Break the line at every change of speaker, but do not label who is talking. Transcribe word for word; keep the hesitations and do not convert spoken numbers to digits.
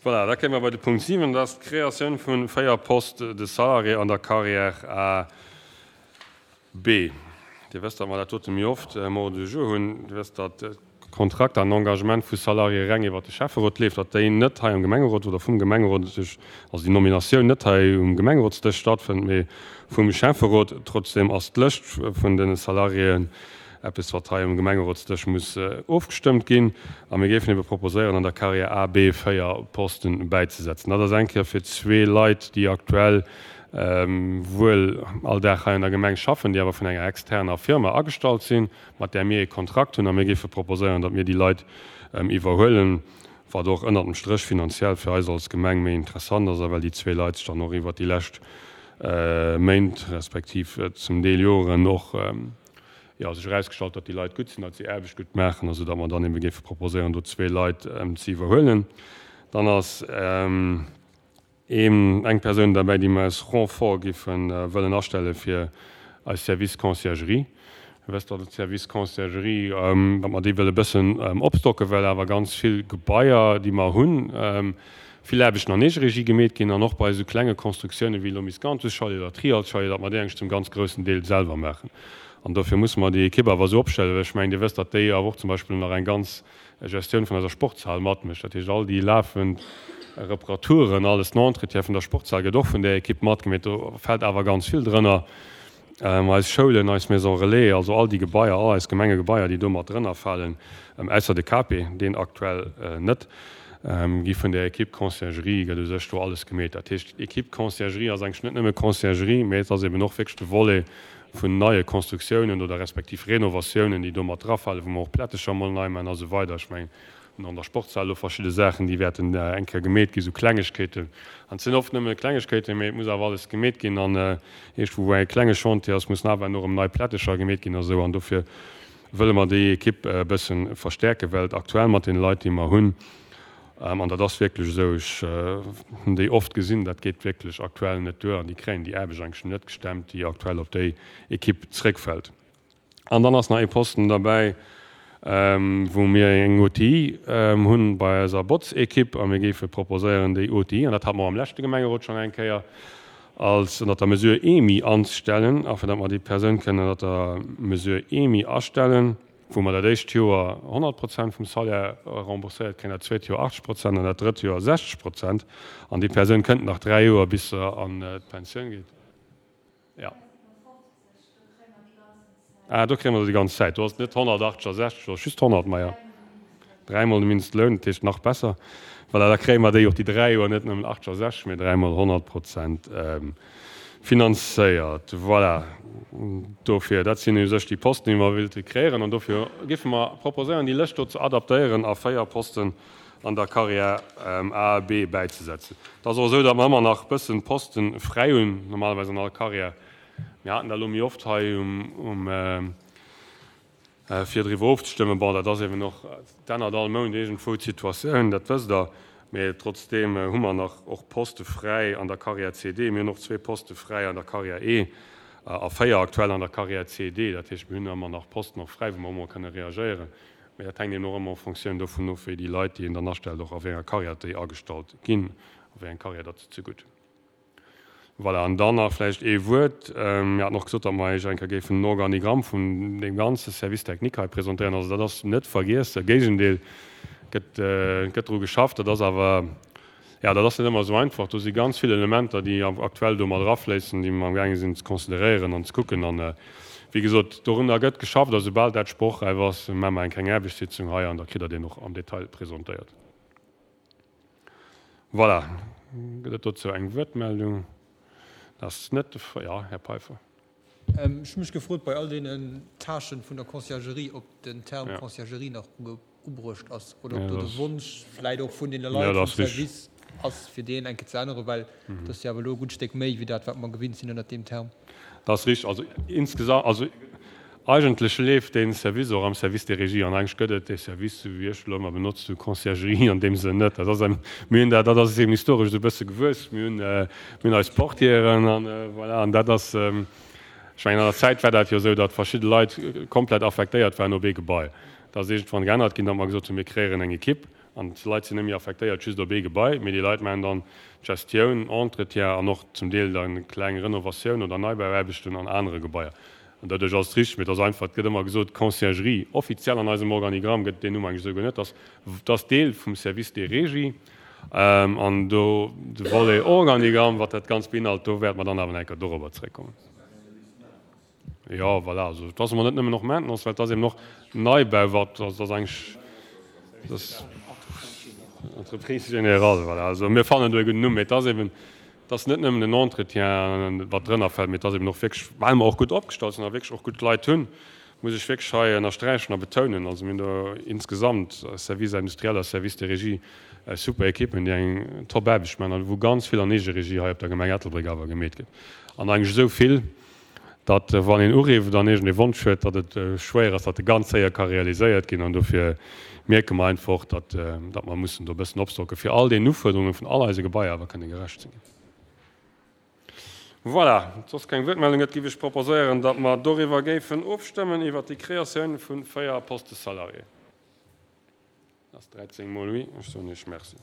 Voilà, da kéime mer bei de Punkt siwen, dat ass d'Kreatioun vu véier Postes de salarié an der Carrière A B. Dir wësst, datt mer dat dote méi oft um Ordre du jour hunn. Dir wësst, datt d'Kontrakter an Engagement vu Salariéë reng iwwert de Schäfferot leeft, datt déi net hei am Gemengerot oder vum Gemengerot sech, also déi Nominatioun net hei um Gemengerotsdësch stattfënnt, mee vum Schäfferot. Trotzdem ass d'Lëscht vun de Salariéen eppes, wat hei um Gemengerotsdësch muss ofgestëmmt ginn. A mir géifen ebe proposéieren, an der Carrière A, B véier Posten bäizesetzen. Dat ass eng Kéier fir zwee Leit, déi aktuell wuel all Dag hei an der Gemeng schaffen, déi awer vun enger externer Firma agestallt sinn, mat där mir ee Kontrakt hunn. A mir géife proposéieren, datt mir déi Leit iwwerhuelen, wat och ënnert dem Stréch finanziell fir eis als Gemeng méi interessant ass, a well déi zwee Leit sech dann och iwwert déi lescht Méint respektiv zum Deel Joren och, jo, sech erausgestallt, datt déi Leit gutt sinn, datt si Aarbecht gutt maachen, a sou datt mer dann ebe géife proposéieren, do zwee Leit ze iwwerhuelen. Dann ass een, eng Persoun derbäi, déi mer aus Renfort géife wëllen astelle fir eis Service Conciergerie. Dir wësst, datt de Service Conciergerie, datt mer dee wëlle bëssen opstocken, well awer ganz vill Gebaier, déi mer hunn, vill Aarbechten an Eegeregie gemeet ginn an och bei esou klenge Constructiounen wéi elo Miscanthus-Chalet oder Trialt-Chalet, datt mer déi eigentlech zum ganz groussen Deel selwer maachen. An dofir musse mer déi Ekipp awer esou opstellen, well ech mengen, Dir wësst, datt déi awer och zum Beispill nach eng ganz Gestioun vun eiser Sportshal matmécht. Dat heescht, all déi lafend Reparaturen, alles den Entretien vun der Sportshal gëtt och vun där Ekipp matgemeet. Do fält awer ganz vill drënner, eis Schoulen, eis Maison relais, also all déi Gebaier, all eis Gemengegebaier, déi do mat drënner falen, ausser de K P, deen aktuell net, gi vun der Equipe Conciergerie, gëtt u sech do alles gemeet. Dat heescht, d'Equipe Conciergerie ass eigentlech net nëmme Conciergerie, mee et ass eben och wierklech de Volet vun neie Constructiounen oder respektiv Renovatiounen, déi do mat drafalen, wou mer och Plättecher mol nei maachen a sou weider. Ech mengen, mir hunn an der Sportshal elo verschidde Saachen, déi wäerten eng Kéier gemeet ginn, sou Klengegkeeten. An et sinn oft nëmme Klengegkeeten, mee et muss awer alles gemeet ginn. An iergendwou, wou e klenge Chantier ass, mussen awer elo erëm nei Plättecher gemeet ginn a sou. An dofir wëlle mer déi Ekipp e bësse verstäerken, well et aktuell mat deene Leit, déi mer hunn, an dat ass wierklech esou, ech hunn déi oft gesinn, dat geet wierklech aktuell net duer an déi kréien déi Aarbecht eigentlech net gestemmt, déi aktuell op déi Ekipp zréckfält. An dann ass nach ee Posten derbäi, wou mir eng O T I hunn bei eiser Botz-Ekipp a mir géife proposéieren, déi O T I, an dat hate mer am leschte Gemengerot schonn eng Kéier, als ënnert der Mesure E M I anzestellen, afin datt mer déi Persoun kënnen ënnert der Mesure E M I astellen, wou mer dat éischt Joer honnert Prozent vum Salaire rembourséiert kréien, dat zweet Joer achtzeg Prozent an dat drëtt Joer sechzeg Prozent. An déi Persoun kënnt nach dräi Joer, bis se an d'Pensioun geet. Ja. Ah, do kréie mer se déi ganz Zäit. Do ass et net honnertachtzeg a sechzeg, do ass just honnert, ma ja, dräimol de Mindestloun, dat heescht nach besser. Voilà, da kréie mer déi och déi dräi Joer net nëmmen achtzeg a sechzeg, mee dräimol honnert Prozent finanzéiert. Voilà, dofir, dat sinn u sech déi Posten, déi mer wéilte kreéieren. An dofir géife mer proposéieren, déi Lëscht do ze adaptéieren a véier Posten an der Carrière A a B bäizesetzen. Et ass och esou, datt mer ëmmer nach e bëssen Poste fräi hunn, normalerweis an all Carrière. Mir haten dat elo méi oft hei um, fir driwwer ofzestëmmen. Bon, dat ass eben och, et ännert all Mount iergendwou d'Situatioun, dat wësst Der. Mee trotzdeem hu mer nach och Poste fräi an der Carrière C D. Mir hunn och zwee Poste fräi an der Carrière E a véier aktuell an der Carrière C D. Dat heescht, mir hunn ëmmer nach Posten och fräi, wou mer ëmmer kënne reagéieren. Mee dat hänkt eben och ëmmer en Fonctioun dovun of, wéi déi Leit, déi een dann astellt, och a wéi enger Carrière déi agestallt ginn, a wéi eng Carrière datt se zegutt. Voilà, an dann nach vläicht ee Wuert. Mir haten och gesot, datt mer Iech eng Kéier géifen den Organigramm vun deem ganze Service technique hei presentéieren. Also dat ass net vergiess, am Géigendeel, gëtt, gëtt dru geschafft. Dat ass awer, jo, dat ass net ëmmer esou einfach. Do si ganz vill Elementer, déi aktuell do mat erafléissen, déi mer amgaange sinn ze consideréieren an ze kucken. An, wéi gesot, dorunner gëtt geschafft a soubal dat sprochräif ass, maache mer eng kleng Aarbechtssitzung hei an da kritt Der deen och am Detail presentéiert. Voilà, gëtt et dozou eng Wuertmeldung? Dat ass net de Fall. Jo, Här Peiffer.
Ech hu mech gefrot bei all deenen Tâchen vun der Conciergerie, ob den Term Conciergerie nach ubruecht ass oder ob do de Wonsch vläit och vun deene Leit vum Service ass, fir deen eng Kéier ze änneren, well dat ass jo awer elo e gutt Stéck méi wéi dat, wat mer gewinnt sinn ënnert deem Term.
Dat ass richteg. Also insgesamt, also eigentlech leeft dee Service och am Service des Régies an eigentlech gëtt et dee Service, esou wéi ech elo ëmmer benotzt hu, Conciergerie an deem Sënn net. Dat ass eng, mir hunn dat, dat ass eben historesch esou e bësse gewuess. Mir hunn, mir hunn eis Portieren an voilà, an dat ass, ech mengen an der Zäit war dat jo esou, datt verschidde Leit komplett affektéiert waren op ee Gebai. Dat ass iergendwann geännert ginn, datt mer gesot hunn, mir kreéieren eng Ekipp. An d'Leit sinn net méi affektéiert just op ee Gebai, mee déi Leit maachen dann d'Gestioun, Entretien an och zum Deel dann kleng Renovatioun oder Neibauaarbechten an anere Gebaier. An doduerch ass et richteg, mee et ass einfach, et gëtt ëmmer gesot Conciergerie. Offiziell an eisem Organigramm gëtt et deen Numm eigentlech esouguer net. Dat ass, dat ass Deel vum Service des Régies. An do de Volet Organigramm, wat dat Ganzt beinhalt, do wäerte mer dann awer nach eng Kéier dorobber zréckkommen. Jo, voilà, also et ass emol net nëmmen och Maintenance, well et ass eben och Neibau, wat, also et ass eigentlech, et ass Entreprise générale, voilà. Also mir fannen do e gudden Numm, mee et ass eben, et ass net nëmmen den Entretien, wat drënner fält, mee et ass eben och wierklech, well mer och gutt opgestallt sinn a wierklech och gutt Leit hunn, muss ech wierklech hei ënnersträichen a betounen, also mir hunn do insgesamt Service industriel a Service de régie super Ekippen, déi eng top Aarbecht maachen a wou ganz vill an Eegeregie hei op der Gemeng Ettelbréck awer gemeet gëtt. An eigentlech esou vill, datt wann een uriwwt an iergendee Wonsch huet, datt et schwéier ass, datt e ganz séier ka realiséiert ginn. An dofir mierke mer einfach, datt datt mer mussen do e bëssen opstocken, fir all deenen Ufuerderunge vun all eise Gebaier awer kënne gerecht ze ginn. Voilà, wann et soss keng Wuertmeldung gëtt, géif ech proposéieren, datt mer doriwwer géifen ofstëmmen, iwwert déi Kreatioun vu véier Postes salariés. Dat ass dräizéng mol oui. Ech soen Iech Merci.